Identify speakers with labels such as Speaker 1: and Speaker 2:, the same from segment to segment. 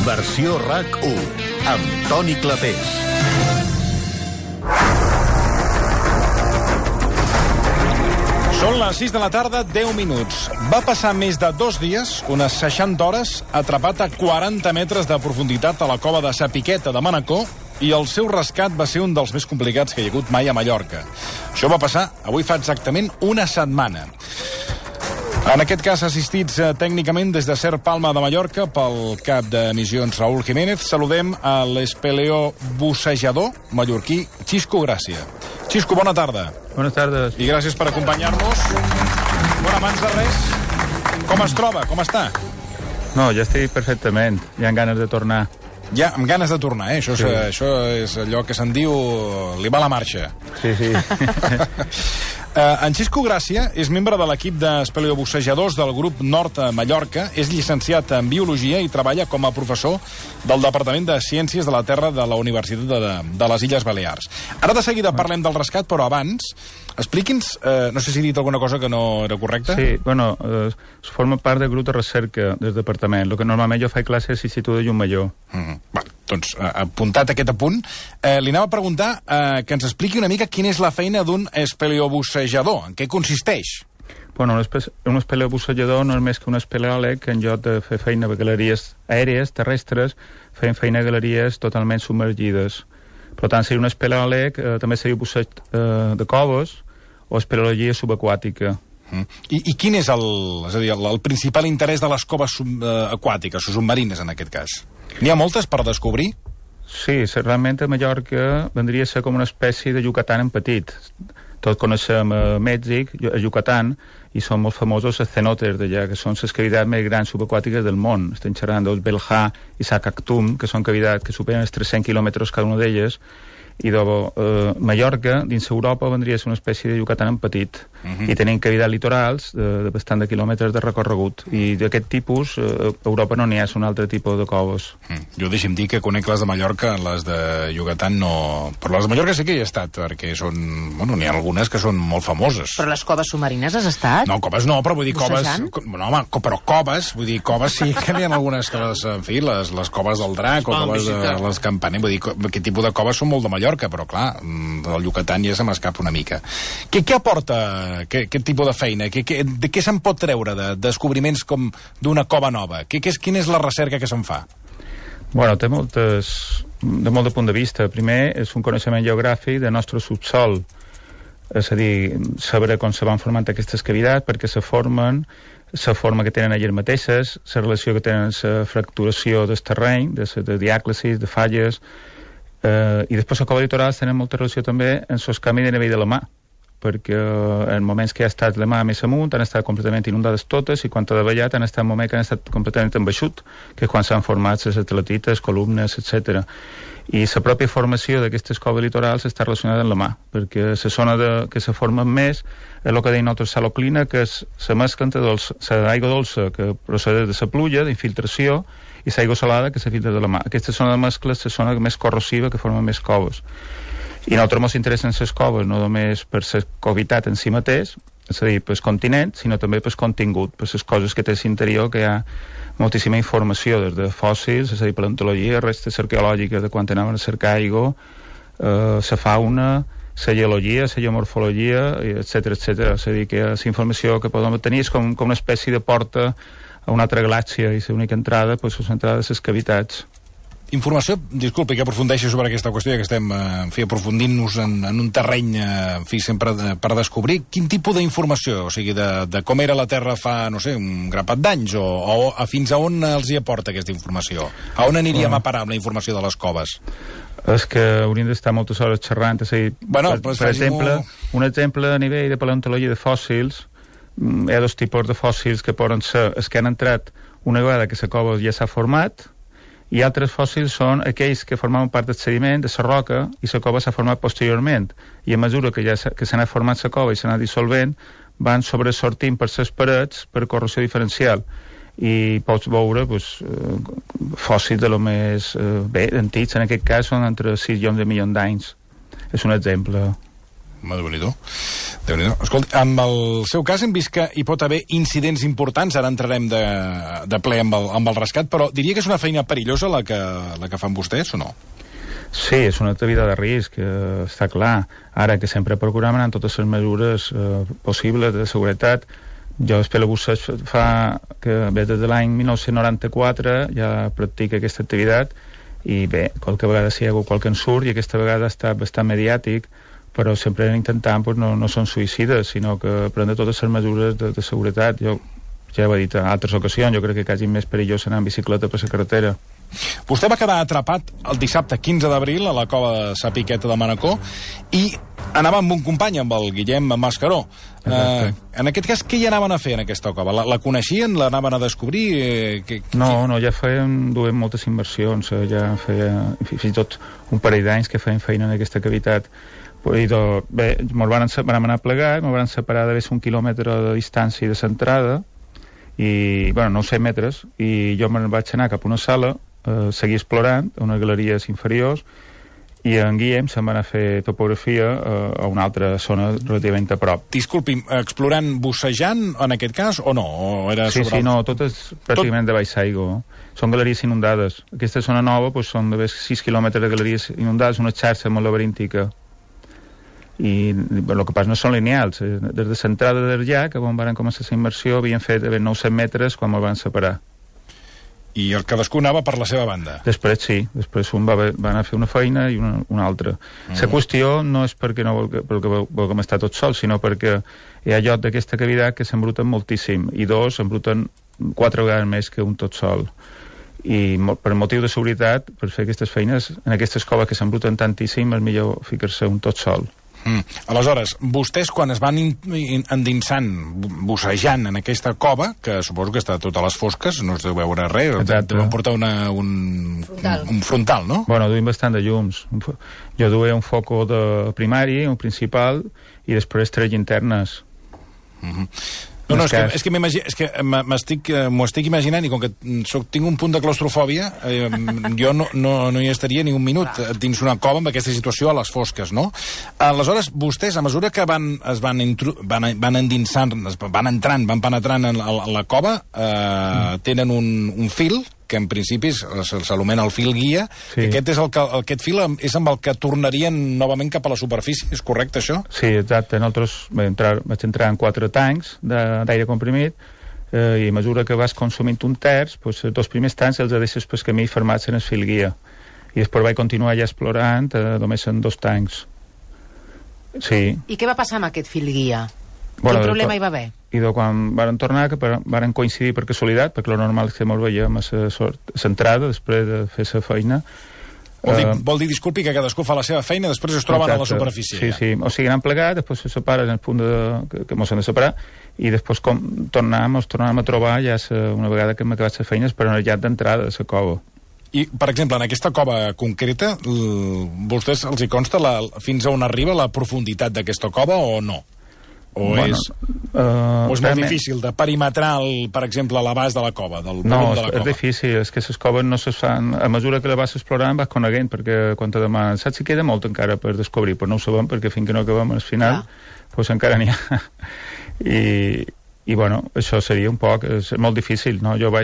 Speaker 1: Versió RAC1, amb Toni Clapés.
Speaker 2: Són les 6 de la tarda, 10 minuts. Va passar més de 2 dies, unes 60 hores, atrapat a 40 metres de profunditat a la cova de Sa Piqueta de Manacor, i el seu rescat va ser un dels més complicats que hi ha hagut mai a Mallorca. Això va passar avui fa exactament una setmana. En aquest cas, assistits tècnicament des de Ser Palma de Mallorca pel cap de missions Raúl Jiménez, saludem a l'espeleobussejador mallorquí Xisco Gràcia. Xisco, bona tarda.
Speaker 3: Bones tardes.
Speaker 2: I gràcies per acompanyar-nos. Bueno, abans de res, com es troba? Com està?
Speaker 3: No, ja estic perfectament. Hi ha ganes de tornar.
Speaker 2: Ja, amb ganes de tornar, eh? Això és allò que se'n diu li va la marxa.
Speaker 3: Sí.
Speaker 2: En Xisco Gràcia és membre de l'equip d'espeleobussejadors del grup Nord a Mallorca, és llicenciat en Biologia i treballa com a professor del Departament de Ciències de la Terra de la Universitat de les Illes Balears. Ara de seguida parlem del rescat, però abans, expliqui'ns, no sé si he dit alguna cosa que no era correcta.
Speaker 3: Sí, bueno, forma part del grup de recerca del departament. El que normalment jo faig classe és l'Institut de Llumallor.
Speaker 2: Bueno, doncs, apuntat aquest apunt, li anava a preguntar que ens expliqui una mica quina és la feina d'un espeleobussejador, en què consisteix?
Speaker 3: Bueno, un espeleobussejador no és més que un espeleòleg que en lloc de fer feina a galeries aèries, terrestres, feien feina a galeries totalment submergides. Per tant, seria un espeleòleg, també seria busseig de coves o espeleologia subaquàtica.
Speaker 2: I quin és el principal interès de les coves aquàtiques, o submarines en aquest cas? N'hi ha moltes per descobrir?
Speaker 3: Sí, realment a Mallorca vendria a ser com una espècie de Yucatán en petit. Tots coneixem a Mèxic, a Yucatán, i són molt famosos els cenotes d'allà, que són les cavitats més grans subaquàtiques del món. Estem xerrant dels Belhà i Sacactum, que són cavitats que superen els 300 quilòmetres cada una d'elles, i Mallorca, dins Europa, vendria a ser una espècie de Yucatán en petit, i tenim cavitats litorals de bastant de quilòmetres de recorregut, i d'aquest tipus a Europa no n'hi ha, un altre tipus de coves.
Speaker 2: Jo deixi'm dir que conec les de Mallorca, les de Yucatán no... Però les de Mallorca sí que hi he estat, perquè són... Bueno, n'hi ha algunes que són molt famoses.
Speaker 4: Però les coves submarines has estat?
Speaker 2: No, coves no, però vull dir coves...
Speaker 4: Bussejant?
Speaker 2: No, home, però coves, vull dir, coves sí que n'hi ha algunes que les... En fi, les coves del Drac o coves de les Campaner, vull dir, aquest tipus de coves són molt de Mallorca, però clar, del Yucatán ja se m'escapa una mica. Què aporta aquest tipus de feina? De què se'n pot treure de descobriments com d'una cova nova? Quina és la recerca que se'n fa?
Speaker 3: Bueno, té molt de punt de vista. Primer, és un coneixement geogràfic del nostre subsol. És a dir, saber com se van formant aquestes cavitats, perquè se formen, la forma que tenen elles mateixes, la relació que tenen la fracturació del terreny, de diàclasis, de falles, i després a coves litorals tenen molta relació també en els canvis de nivell de la mà, perquè en moments que ha estat la mà més amunt han estat completament inundades totes, i quan ha davallat han estat moments que han estat completament embaixut, que és quan s'han format les atletites, columnes, etc. I la pròpia formació d'aquestes coves litorals està relacionada amb la mà, perquè la zona que se formen més és el que deim nosaltres saloclina, que és la mescla entre l'aigua dolça que procedeix de la pluja, d'infiltració, i l'aigua salada que se filtra de la mà. Aquesta zona de mescla és la zona més corrosiva, que forma més coves. I a nosaltres ens interessen les coves no només per la covitat en si mateix, és a dir, pel continent, sinó també pel contingut, per les coses que té a l'interior, que hi ha moltíssima informació, des de fòssils, és a dir, paleontologia, restes arqueològiques de quan anaven a cercar aigua, la fauna, la geologia, la geomorfologia, etc. És a dir, que la informació que podem obtenir és com una espècie de porta a una altra galàxia, i l'única entrada és l'entrada de les cavitats.
Speaker 2: Informació, disculpi que aprofundeixi sobre aquesta qüestió, que estem aprofundint-nos en un terreny sempre per descobrir quin tipus d'informació, o sigui, de com era la Terra fa, no sé, un grapat d'anys, o fins a on els hi aporta aquesta informació? A on aniríem a parar amb la informació de les coves?
Speaker 3: És que hauríem d'estar moltes hores xerrant, és a dir, per exemple, un exemple a nivell de paleontologia de fòssils. Hi ha dos tipus de fòssils que poden ser els que han entrat una vegada que la cova ja s'ha format, i altres fòssils són aquells que formaven part del sediment, de la roca, i la cova s'ha format posteriorment, i a mesura que s'ha anat formant la cova i s'ha anat dissolvent, van sobresortint per les parets per corrosió diferencial, i pots veure fòssils de lo més antics, en aquest cas són entre 6 milions de milions d'anys. És un exemple.
Speaker 2: Déu-n'hi-do. Escolta, amb el seu cas hem vist que hi pot haver incidents importants, ara entrarem de ple amb el rescat, però diria que és una feina perillosa la que fan vostès o no?
Speaker 3: Sí, és una activitat de risc, està clar. Ara que sempre procurem anar amb totes les mesures possibles de seguretat. Jo espero que fa que des de l'any 1994 ja practica aquesta activitat i bé, qualque vegada sí hi ha hagut qualque ensurt i aquesta vegada ha estat bastant mediàtic, però sempre intentant no són suïcides, sinó que prendre totes les mesures de seguretat. Jo ja ho he dit en altres ocasions, jo crec que quasi més perillós anar en bicicleta per la carretera.
Speaker 2: Vostè va quedar atrapat el dissabte 15 d'abril a la cova de Sa Piqueta de Manacor i anava amb un company, amb el Guillem Mascaró. En aquest cas, què hi anaven a fer en aquesta cova? La coneixien? L'anaven a descobrir?
Speaker 3: No, ja duem moltes inversions, ja feia fins i tot un parell d'anys que feien feina en aquesta cavitat. Bé, vam anar a plegar, ens van separar d'haver 1 quilòmetre de distància de l'entrada i, bueno, 900 metres, i jo me'n vaig anar cap a una sala, seguir explorant a unes galeries inferiors, i en Guillem se'n va anar a fer topografia a una altra zona relativament a prop.
Speaker 2: Disculpi, explorant, bussejant en aquest cas o no? O era
Speaker 3: sí, no, tot és pràcticament de baix aigua. Són galeries inundades. Aquesta zona nova són de 6 quilòmetres de galeries inundades, una xarxa molt laberíntica. I el que passa no són lineals. Des de l'entrada del llac, on van començar la immersió, havien fet 900 metres quan me'l van separar.
Speaker 2: I el cadascú anava per la seva banda?
Speaker 3: Després sí, després un va anar a fer una feina i una altra. La qüestió no és perquè vulguem estar tots sols, sinó perquè hi ha lloc d'aquesta cavitat que s'embruten moltíssim, i dos s'embruten 4 vegades més que un tot sol. I per motiu de seguretat, per fer aquestes feines, en aquestes coves que s'embruten tantíssim, és millor ficar-se un tot sol.
Speaker 2: Aleshores, vostès quan es van endinsant, bussejant en aquesta cova, que suposo que està a totes les fosques, no es deu veure res, deuen portar un frontal, no?
Speaker 3: Bueno, duim bastant de llums. Jo duia un foco de primari, un principal, i després 3 llinternes.
Speaker 2: No, és que m'ho estic imaginant, i com que tinc un punt de claustrofòbia, jo no hi estaria ni un minut dins una cova amb aquesta situació a les fosques, no? Aleshores, vostès, a mesura que van endinsant, van penetrant en la cova, tenen un fil, que en principi s'anomena el fil guia, sí. Aquest fil és amb el que tornarien novament cap a la superfície, és correcte això?
Speaker 3: Sí, exacte. Nosaltres vaig entrar en 4 tancs d'aire comprimit i a mesura que vas consumint un terç, els 2 primers tancs els deixes pel camí fermats en el fil guia. I després vaig continuar ja explorant només en 2 tancs. Sí. I
Speaker 4: què va passar amb aquest fil guia? Quin problema hi va haver?
Speaker 3: I quan varen tornar, que varen coincidir per casualitat, perquè el normal és que ens veiem a l'entrada després de fer la feina.
Speaker 2: Vol dir, disculpi, que cadascú fa la seva feina i després es troben a la superfície.
Speaker 3: Sí, o sigui, han plegat, després se separen en el punt que ens han de separar, i després tornàvem a trobar ja una vegada que hem acabat les feines per al llac d'entrada de la cova.
Speaker 2: I, per exemple, en aquesta cova concreta, vostès els hi consta fins a on arriba la profunditat d'aquesta cova o no? O és molt difícil de perimetrar, per exemple, l'abast de la cova, del volum de la cova?
Speaker 3: No, és difícil, és que les coves no se fan... A mesura que la vas explorant vas coneguent, perquè quan te demanen, saps si queda molt encara per descobrir? Però no ho sabem, perquè fins que no acabem al final, doncs encara n'hi ha. I bueno, això seria un poc... És molt difícil, no? Jo me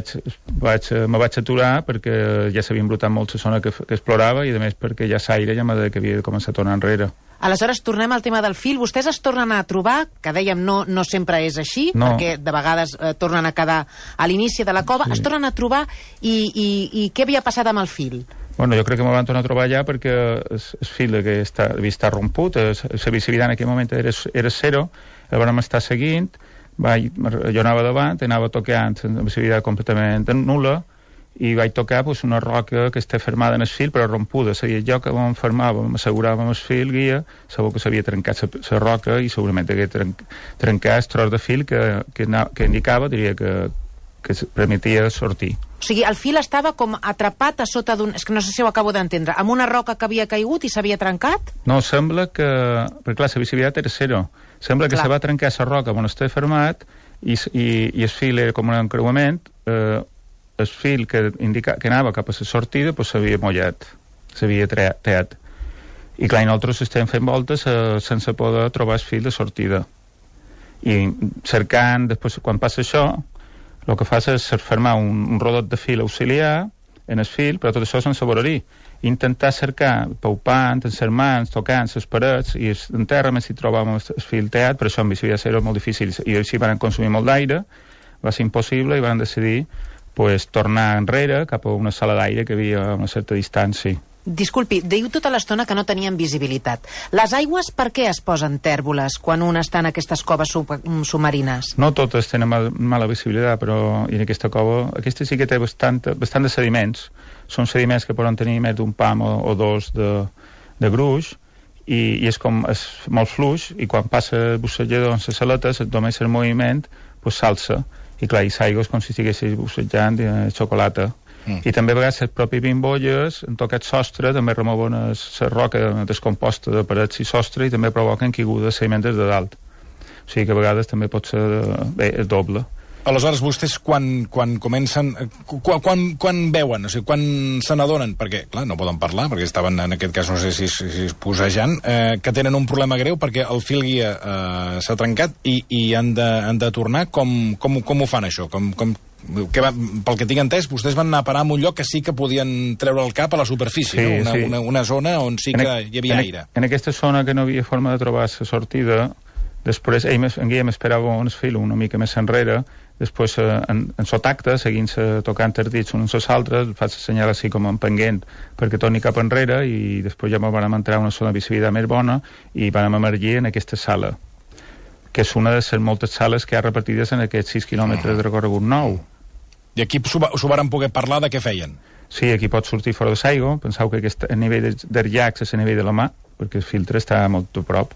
Speaker 3: vaig aturar perquè ja s'havia embrutat molt la zona que explorava i, a més, perquè ja l'aire ja m'ha de que havia de començar a tornar enrere.
Speaker 4: Aleshores, tornem al tema del fil. Vostès es tornen a trobar, que dèiem no sempre és així, perquè de vegades tornen a quedar a l'inici de la cova, es tornen a trobar i què havia passat amb el fil?
Speaker 3: Bueno, jo crec que me van tornar a trobar allà perquè el fil que havia estat romput, la visibilitat en aquell moment era zero, el vam estar seguint, jo anava davant, anava tocant amb visibilitat completament nul·la, i vaig tocar una roca que està fermada en el fil però rompuda, és a dir, el lloc que vam fermàvem, asseguràvem el fil guia, segur que s'havia trencat la roca i segurament hagués trencat el tros de fil que indicava, diria que permetia sortir.
Speaker 4: O sigui, el fil estava com atrapat a sota d'un... És que no sé si ho acabo d'entendre. Amb una roca que havia caigut i s'havia trencat?
Speaker 3: No, sembla que... Perquè clar, la visibilitat era zero. Sembla que se va trencar la roca on estava fermat i el fil era com un encreuament, el fil que anava cap a la sortida s'havia mullat, s'havia teat. I clar, nosaltres estem fent voltes sense poder trobar el fil de sortida. I cercant, després, quan passa això, el que fas és fermar un rodot de fil auxiliar en el fil, però tot això sense voler-hi. Intentar cercar, paupant, en les mans, tocant les parets, i en terra més si trobàvem el fil teat, però això en bicicleta era molt difícil, i així van consumir molt d'aire, va ser impossible, i van decidir tornar enrere cap a una sala d'aire que havia a una certa distància.
Speaker 4: Disculpi, diu tota l'estona que no tenien visibilitat. Les aigües per què es posen tèrboles quan un està en aquestes coves submarines?
Speaker 3: No totes tenen mala visibilitat, però en aquesta cova, aquesta sí que té bastant de sediments. Són sediments que poden tenir més d'un pam o dos de gruix, i és molt fluix, i quan passa el bussejador en les aletes, només el moviment s'alça, i clar, i l'aigua és com si estiguessis bussejant xocolata. I també a vegades les pròpies bimbolles en tocat sostre també remouen la roca descomposta de parets i sostre i també provoquen caigudes sediments de dalt. O sigui que a vegades també pot ser és doble.
Speaker 2: Aleshores, vostès quan comencen... Quan veuen? O sigui, quan se n'adonen? Perquè, clar, no poden parlar, perquè estaven, en aquest cas, no sé si posejant, que tenen un problema greu perquè el fil guia s'ha trencat i han de tornar. Com ho fan, això? Pel que tinc entès, vostès van anar a parar en un lloc que sí que podien treure el cap a la superfície, sí, no? Una zona on sí que hi havia aire.
Speaker 3: En aquesta zona que no havia forma de trobar la sortida, després en Guillem esperava un fil una mica més enrere, després en sotacte, seguint-se tocant els dits uns als altres, faig el senyal així com empenguent perquè torni cap enrere, i després ja vam entrar a una zona de visibilitat més bona i vam emergir en aquesta sala, que és una de les moltes sales que hi ha repartides en aquests 6 quilòmetres de recorregut nou.
Speaker 2: I aquí s'ho varen poder parlar de què feien?
Speaker 3: Sí, aquí pot sortir fora de l'aigua. Penseu que el nivell dels llacs és el nivell de la mà, perquè el filtre està molt a prop.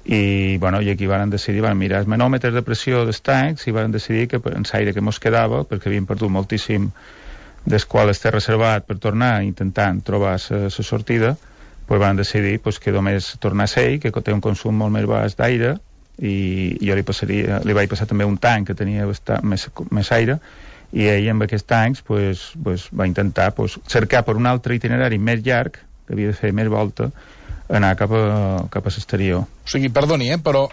Speaker 3: I aquí van decidir, van mirar els manòmetres de pressió dels tancs i van decidir que en l'aire que mos quedava, perquè havíem perdut moltíssim des qual està reservat per tornar intentant trobar la sortida, van decidir que només tornar a ser, que té un consum molt més baix d'aire, i jo li vaig passar també un tanc que tenia més aire, i ell amb aquests tancs va intentar cercar per un altre itinerari més llarg, que havia de fer més volta, anar cap a l'exterior.
Speaker 2: O sigui, perdoni, però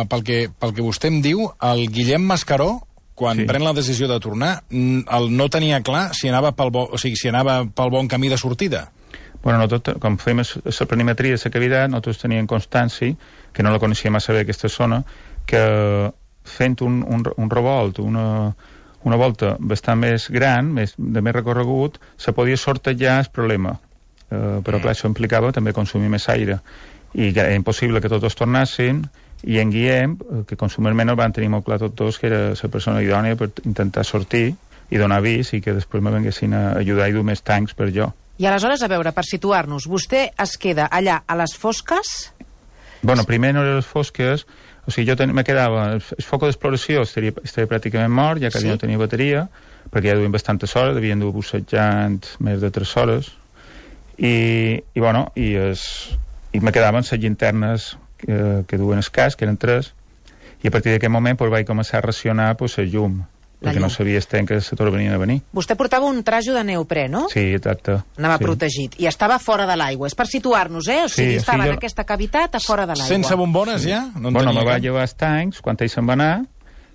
Speaker 2: pel que vostè em diu, el Guillem Mascaró, quan pren la decisió de tornar, no tenia clar si anava pel bon camí de sortida.
Speaker 3: Com fèiem la planimetria de la cavitat, nosaltres teníem constància, que no la coneixíem massa bé aquesta zona, que fent un revolt, una volta bastant més gran, de més recorregut, se podia sortejar el problema. Però clar, això implicava també consumir més aire. I era impossible que tots tornassin, i en Guillem, que consumerment el van tenir molt clar tots dos, que era la persona idònia per intentar sortir i donar avís, i que després me venguessin a ajudar i dur més tancs per jo.
Speaker 4: I aleshores, a veure, per situar-nos, vostè es queda allà a les fosques?
Speaker 3: Primer no eren les fosques, o sigui, jo me quedava... El foc d'exploració estaria pràcticament mort, ja que no tenia bateria, perquè ja duien bastantes hores, devien dur bussejant més de 3 hores, i me quedaven les llinternes que duen el casc, que eren 3, i a partir d'aquest moment vaig començar a racionar la llum, perquè no sabia que se tornarien a venir.
Speaker 4: Vostè portava un trajo de neoprè, no?
Speaker 3: Sí, exacte.
Speaker 4: Anava protegit, i estava fora de l'aigua. És per situar-nos, O sigui, estava en aquesta cavitat a fora de l'aigua.
Speaker 2: Sense bombones, ja?
Speaker 3: Me va llevar els tancs, quan ell se'n va anar,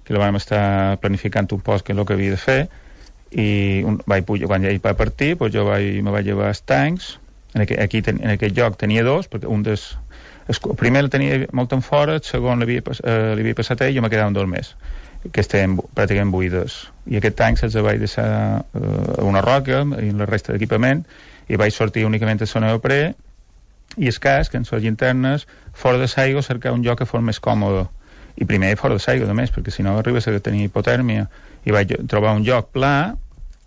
Speaker 3: que la vam estar planificant un poc, que és el que havia de fer, i quan ell va partir, jo me vaig llevar els tancs. En aquest lloc tenia 2, perquè el primer el tenia molt en fora, el segon l'havia passat ell, i jo me quedava 2 més, que estaven pràcticament buides, i aquest tanc se'ls vaig deixar a una roca i la resta d'equipament, i vaig sortir únicament a zona neoprè i el casc, en les llinternes, fora de l'aigua, cercar un lloc que fos més còmode, i primer fora de l'aigua només, perquè si no arribes a tenir hipotèrmia, i vaig trobar un lloc pla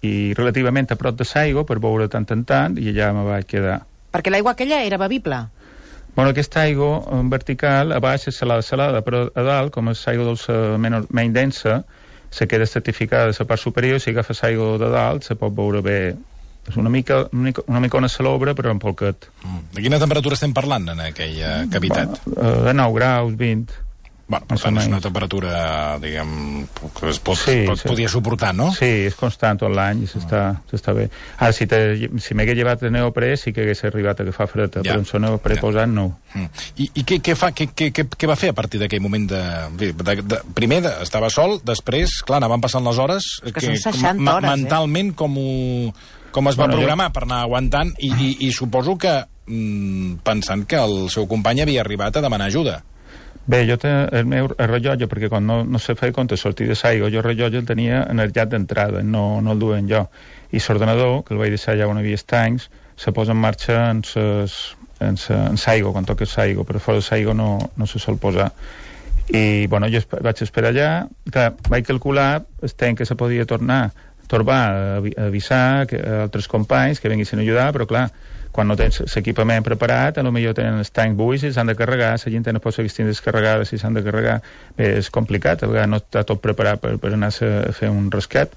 Speaker 3: i relativament a prop de l'aigua per veure tant en tant, i allà me vaig quedar.
Speaker 4: Perquè l'aigua aquella era bevible?
Speaker 3: Aquesta aigua vertical a baix és salada, però a dalt, com és aigua dolça menys densa, se queda estratificada de la part superior, si agafes aigua de dalt se pot veure bé. És una mica una salobre, però en polquet.
Speaker 2: De quina temperatura estem parlant en aquella cavitat?
Speaker 3: De 9 graus, 20.
Speaker 2: Bueno, per tant, és una temperatura, diguem, que es podia suportar, no?
Speaker 3: Sí, és constant tot l'any i s'està bé. Ara, si m'hagués llevat de neoprè, sí que hagués arribat a agafar freda, però en son neoprè posant, no.
Speaker 2: I què va fer a partir d'aquell moment primer estava sol, després, clar, anaven passant les hores...
Speaker 4: Que són 60 hores,
Speaker 2: mentalment, com es va programar per anar aguantant, i suposo que pensant que el seu company havia arribat a demanar ajuda.
Speaker 3: Bé, jo el meu rellotge, perquè quan no se feia compte sortir de l'aigua, jo el rellotge el tenia energitzat d'entrada, no el duia jo. I l'ordenador, que el vaig deixar allà on hi havia estanys, se posa en marxa en l'aigua, quan toques l'aigua, però fora de l'aigua no se sol posar. I, bueno, jo vaig esperar allà, clar, vaig calcular el temps que se podia tornar a avisar altres companys que venguessin a ajudar, però clar, quan no tens l'equipament preparat, potser tenen els tancs buits i s'han de carregar, la gent no pot seguir estant descarregada si s'han de carregar. Bé, és complicat, a vegades no està tot preparat per anar a fer un rescat.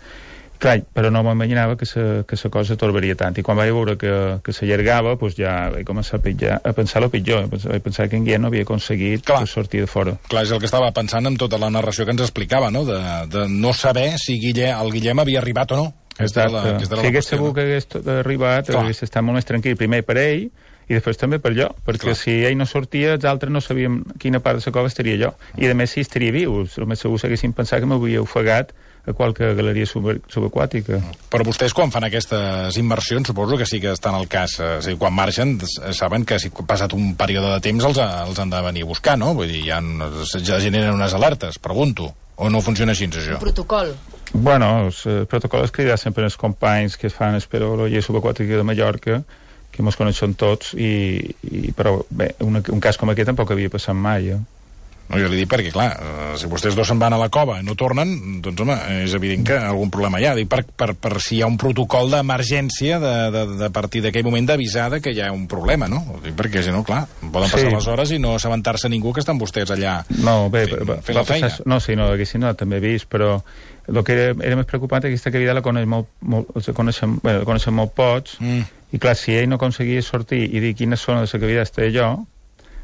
Speaker 3: Clar, però no m'imaginava que la cosa torbaria tant. I quan vaig veure que s'allargava, doncs ja vaig començar a pensar el pitjor. Vaig pensar que en Guillem no havia aconseguit sortir de fora.
Speaker 2: Clar, és el que estava pensant amb tota la narració que ens explicava, no? De no saber si el Guillem havia arribat o no.
Speaker 3: Exacte. Si hagués sabut que hagués arribat, hagués estat molt més tranquil, primer per ell i després també per jo, perquè si ell no sortia, els altres no sabíem quina part de la cova estaria jo. I a més, si estaria viu, el més segur s'haguessin pensat que m'havia ofegat a qualque galeria subaquàtica.
Speaker 2: Però vostès, quan fan aquestes immersions, suposo que sí que estan al cas. O sigui, quan marxen, saben que si ha passat un període de temps els han de venir a buscar, no? Vull dir, ja generen unes alertes, pregunto. O no funciona així, això?
Speaker 4: Un protocol.
Speaker 3: Bueno, el protocol és cridar sempre els companys que fan espeleologia subaquàtica de Mallorca, que mos coneixen tots, però bé, un cas com aquest tampoc havia passat mai,
Speaker 2: No, jo li dic perquè, clar, si vostès dos se'n van a la cova i no tornen, doncs, home, és evident que algun problema hi ha. Dic, per si hi ha un protocol d'emergència de partir d'aquell moment d'avisar que hi ha un problema, no? Dic, perquè, si no, clar, poden passar les hores i no assabentar-se ningú que estan vostès allà fent la feina.
Speaker 3: No, sí, no, haguessin també vist, però el que era més preocupant és que aquesta cavidad la coneixem molt pocs, i clar, si ell no aconseguia sortir i dir quina zona de la cavidad estava jo,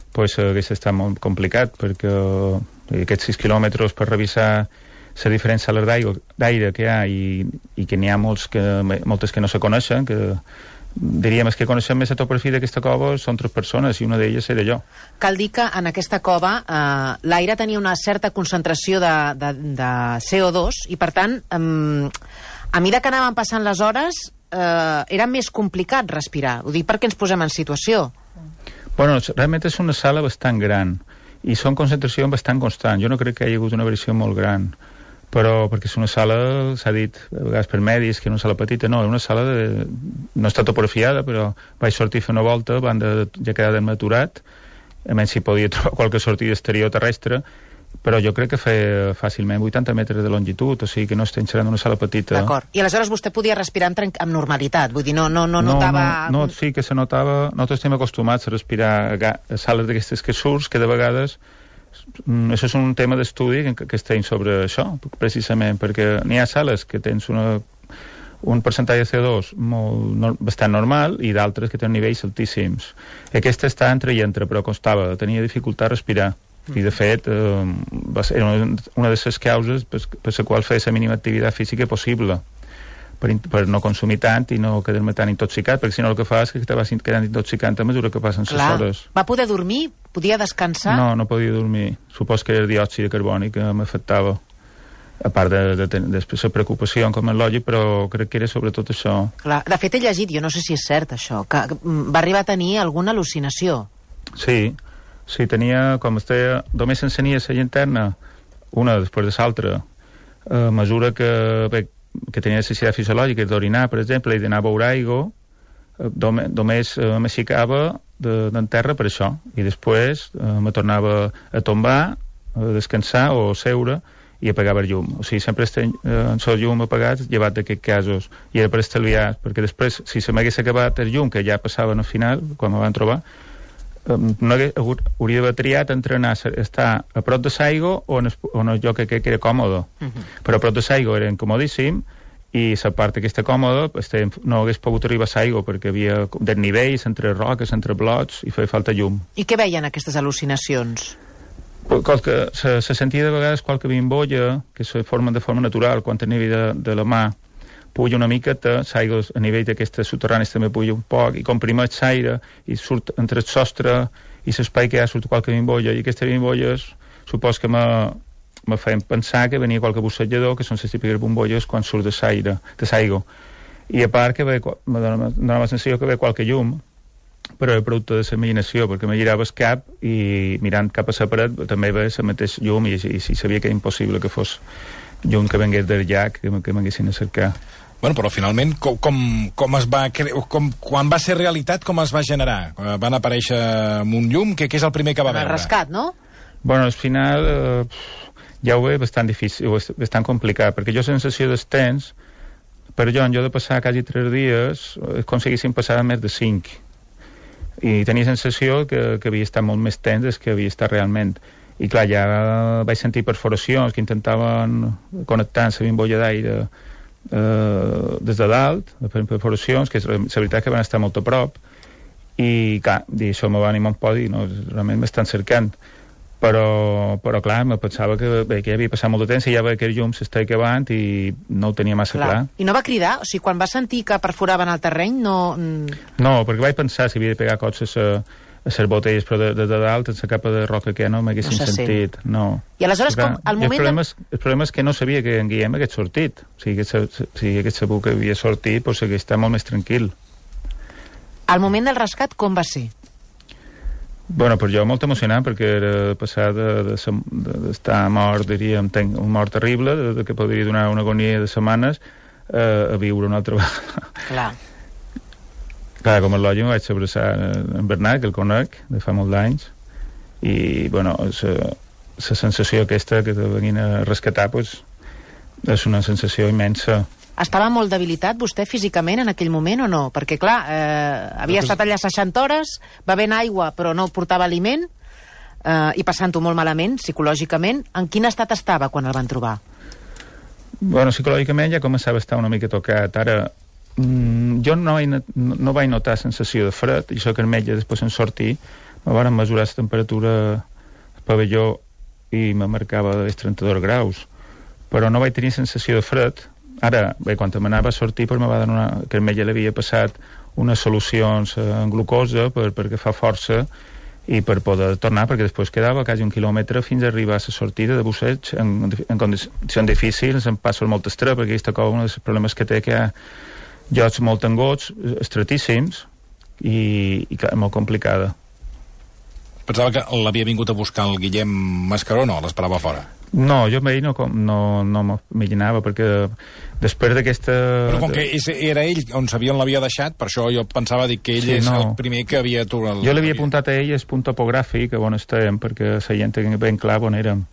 Speaker 3: doncs hauria estat molt complicat, perquè aquests 6 quilòmetres per revisar la diferència d'aire que hi ha i que n'hi ha moltes que no se coneixen, que diríem que coneixem més la topografia d'aquesta cova són 3 persones i una d'elles era jo.
Speaker 4: Cal dir que en aquesta cova l'aire tenia una certa concentració de CO2 i per tant a mesura que anaven passant les hores era més complicat respirar. Ho dic perquè ens posem en situació.
Speaker 3: Bueno, realment és una sala bastant gran i són concentracions bastant constants. Jo no crec que hi hagi hagut una variació molt gran, però perquè és una sala, s'ha dit a vegades per medis, que és una sala petita, no, és una sala no està topografiada, però vaig sortir a fer una volta, ja quedar aturat, a menys si podia trobar qualque sortida exterior terrestre, però jo crec que feia fàcilment 80 metres de longitud, o sigui que no estem xerrant d'una sala petita.
Speaker 4: D'acord. I aleshores vostè podia respirar amb normalitat, vull dir, no notava...
Speaker 3: No, sí que se notava... Nosaltres estem acostumats a respirar a sales d'aquestes que surts, que de vegades... Això és un tema d'estudi que estem sobre això, precisament, perquè n'hi ha sales que tens un percentatge de CO2 bastant normal i d'altres que tenen nivells altíssims. Aquesta està entre i entre, però costava, tenia dificultat a respirar. I de fet va ser una de les causes per la qual feia la mínima activitat física possible, per no consumir tant i no quedar-me tan intoxicat, perquè si no el que fa és que te vas quedant intoxicant a mesura que passen les hores.
Speaker 4: Va poder dormir? Podia descansar?
Speaker 3: No podia dormir. Supos que era el diòxid de carboni que m'afectava, a part de la preocupació com el lògic, però crec que era sobretot això.
Speaker 4: Clar. De fet he llegit, jo no sé si és cert això, que va arribar a tenir alguna al·lucinació.
Speaker 3: Sí, tenia, com es deia, només s'encenia la llanterna, una després de l'altra, a mesura que tenia necessitat fisiològica d'orinar, per exemple, i d'anar a beure aigua, només m'aixecava d'en terra per això, i després me tornava a tombar, a descansar o a seure i apagava el llum. O sigui, sempre en el llum apagat, llevat d'aquests casos, i era per estalviar, perquè després, si se m'hagués acabat el llum, que ja passava al final, quan me van trobar, no hauria d'haver triat entre estar a prop de l'aigua o en el lloc que era còmode. Però a prop de l'aigua era incomodíssim i la part aquesta còmoda no hagués pogut arribar a l'aigua perquè havia desnivells entre roques, entre blocs i feia falta llum.
Speaker 4: I què veien aquestes al·lucinacions?
Speaker 3: Se sentia de vegades qualque bimbolla que se formen de forma natural quan a nivell de la mà puja una miqueta, l'aigua a nivell d'aquestes soterranis també puja un poc i comprimeix l'aire i surt entre el sostre i l'espai que hi ha surt qualque bimbolla i aquestes bimbolles supos que me feien pensar que venia qualque bussejador que són les típiques bombolles quan surt de l'aigua i a part que me donava la sensació que ve qualque llum però era producte de la imaginació, perquè me girava el cap i mirant cap a la paret també veia la mateixa llum i sabia que era impossible que fos llum que vengués del llac, que m'haguessin a cercar.
Speaker 2: Bueno, però finalment, com es va quan va ser realitat, com es va generar? Van aparèixer amb un llum, què és el primer que va veure?
Speaker 4: El rescat, no?
Speaker 3: Bueno, al final ja ho veia bastant difícil, bastant complicat, perquè jo la sensació dels temps, per jo de passar quasi 3 dies, aconseguissin passar més de 5. I tenia sensació que havia estat molt més temps des que havia estat realment. I clar, ja vaig sentir perforacions que intentaven connectar la bimbolla d'aire des de dalt, perforacions, que la veritat que van estar molt a prop, i clar, això me va animar un poc i no, realment m'estan cercant. Però clar, me pensava que ja havia passat molt de temps i ja veia que el llum s'estava acabant i no ho tenia massa clar.
Speaker 4: I no va cridar? O sigui, quan va sentir que perforaven el terreny, no...
Speaker 3: No, perquè vaig pensar si havia de pegar cops a les botelles, però de dalt, en la capa de roca que no m'haguessin sentit. No.
Speaker 4: I aleshores, com al moment...
Speaker 3: El problema és que no sabia que en Guillem hagués sortit. O sigui, si hagués sabut que havia sortit, doncs hagués estat molt més tranquil.
Speaker 4: Al moment del rescat, com va ser?
Speaker 3: Bueno, per jo molt emocionant, perquè era passar d'estar mort, diríem, un mort terrible, que podria donar una agonia de setmanes, a viure una altra vegada. Clar, com a lògic me vaig abraçar en Bernat, que el conec de fa molts anys, i, bueno, la sensació aquesta que te venien a rescatar, pues, és una sensació immensa.
Speaker 4: Estava molt debilitat vostè físicament en aquell moment o no? Perquè, clar, havia estat allà 60 hores, bevent aigua però no portava aliment i passant-ho molt malament, psicològicament. En quin estat estava quan el van trobar?
Speaker 3: Bueno, psicològicament ja començava a estar una mica tocat. Ara, jo no vaig notar sensació de fred, i això que el metge després en sortir me van mesurar la temperatura al pavelló i me marcava dels 32 graus, però no vaig tenir sensació de fred. Ara, bé, quan m'anava a sortir me va donar que el metge l'havia passat unes solucions en glucosa perquè fa força i per poder tornar, perquè després quedava quasi 1 quilòmetre fins a arribar a la sortida de busseig en condicions difícils, em passo molt estrès, perquè aquesta cova un dels problemes que té que hi ha llocs molt angots, estretíssims i molt complicada.
Speaker 2: Pensava que l'havia vingut a buscar el Guillem Mascaró, no? L'esperava fora.
Speaker 3: No, jo amb ell no m'imaginava, perquè després d'aquesta...
Speaker 2: Però com que era ell on sabia on l'havia deixat, per això jo pensava que ell és el primer que havia...
Speaker 3: Jo l'havia apuntat a ell el punt topogràfic on estàvem, perquè la gent tenia ben clar on érem.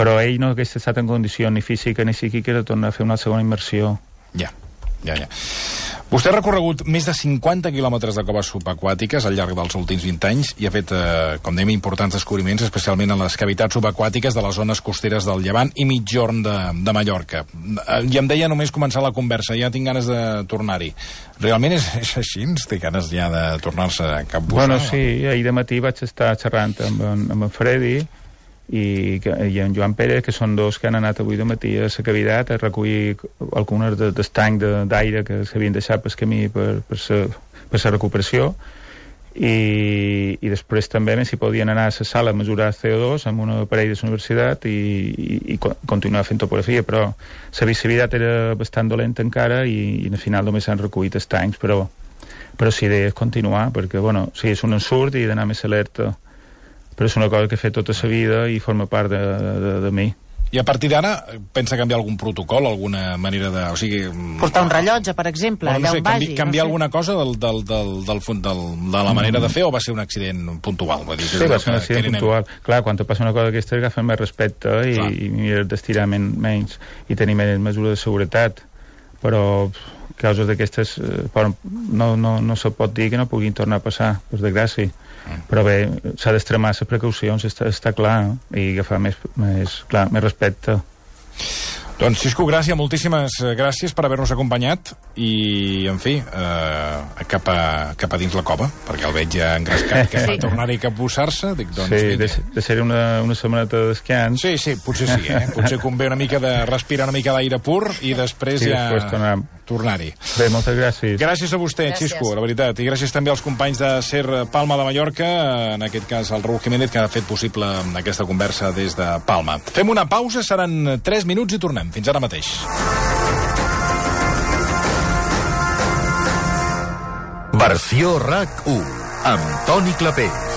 Speaker 3: Però ell no hagués estat en condició ni física ni psíquica de tornar a fer una segona immersió.
Speaker 2: Ja. Vostè ha recorregut més de 50 quilòmetres de coves subaquàtiques al llarg dels últims 20 anys i ha fet, com dèiem, importants descobriments, especialment en les cavitats subaquàtiques de les zones costeres del Llevant i Migjorn de Mallorca. I em deia només començar la conversa, ja tinc ganes de tornar-hi. Realment és així? Té ganes ja de tornar-se a Cap Bussar?
Speaker 3: Bueno, sí, ahir de matí vaig estar xerrant amb en Freddy i en Joan Pérez, que són dos que han anat avui de matí a la cavitat a recollir algunes d'estany d'aire que s'havien deixat pel camí per la recuperació i després també si podien anar a la sala a mesurar CO2 amb un aparell de la universitat i continuar fent topografia, però la visibilitat era bastant dolenta encara i al final només s'han recollit estanys, però sí, idea és continuar, perquè bueno, sí, és un ensurt i d'anar més alerta, però és una cosa que he fet tota la vida i forma part de mi.
Speaker 2: I a partir d'ara pensa canviar algun protocol, alguna manera de... O sigui,
Speaker 4: portar un rellotge, per exemple, allà on vagi.
Speaker 2: Canviar alguna cosa de la manera de fer o va ser un accident puntual?
Speaker 3: Sí, va ser un accident puntual. Clar, quan te passa una cosa d'aquesta agafen més respecte i mires d'estirar menys i tenir més mesures de seguretat. Però causes d'aquestes no se pot dir que no puguin tornar a passar, per desgràcia. Però bé, s'ha d'extremar les precaucions, està clar, no? I agafar més respecte.
Speaker 2: Doncs, Xisco, gràcies, moltíssimes gràcies per haver-nos acompanyat i, en fi, cap a dins la cova, perquè el veig ja engrescat, que va tornar-hi a capbussar-se.
Speaker 3: Sí, deixaré una setmaneta de descans.
Speaker 2: Sí, potser sí, Potser convé una mica de respirar una mica d'aire pur i després tornar-hi.
Speaker 3: Bé, moltes gràcies.
Speaker 2: Gràcies a vostè, Xisco, la veritat, i gràcies també als companys de SER Palma de Mallorca, en aquest cas el Raúl Jiménez, que ha fet possible aquesta conversa des de Palma. Fem una pausa, seran 3 minuts i tornem. Fins ara mateix.
Speaker 1: Versió RAC 1 amb Toni Clapés.